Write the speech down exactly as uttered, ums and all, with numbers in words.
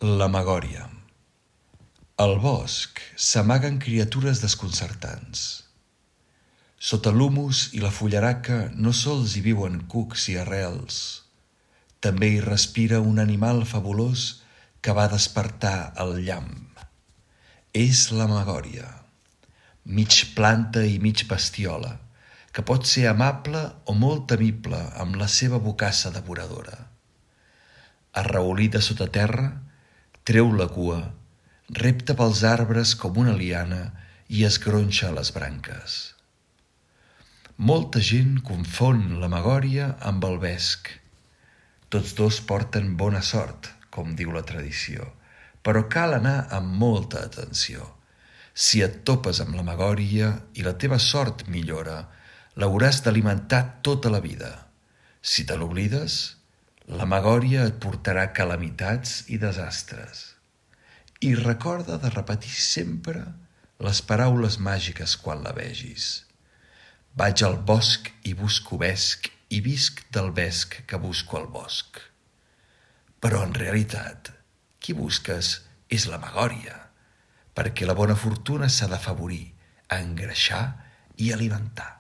La Magòria. Al bosc s'amaguen criatures desconcertants. Sota l'humus i la fullaraca no sols hi viuen cucs i arrels, també hi respira un animal fabulós que va despertar el llamp. És la Magòria, mig planta i mig bestiola, que pot ser amable o molt temible amb la seva bocassa devoradora. Arraulida sota terra, treu la cua, repta pels arbres com una liana i es gronxa les branques. Molta gent confon la Magòria amb el vesc. Tots dos porten bona sort, com diu la tradició, però cal anar amb molta atenció. Si et topes amb la Magòria i la teva sort millora, l'hauràs d'alimentar tota la vida. Si te l'oblides, la Magòria et portarà calamitats i desastres. I recorda de repetir sempre les paraules màgiques quan la vegis. Vaig al bosc i busco vesc i visc del vesc que busco al bosc. Però en realitat, qui busques és la Magòria, perquè la bona fortuna s'ha d'afavorir, engreixar i alimentar.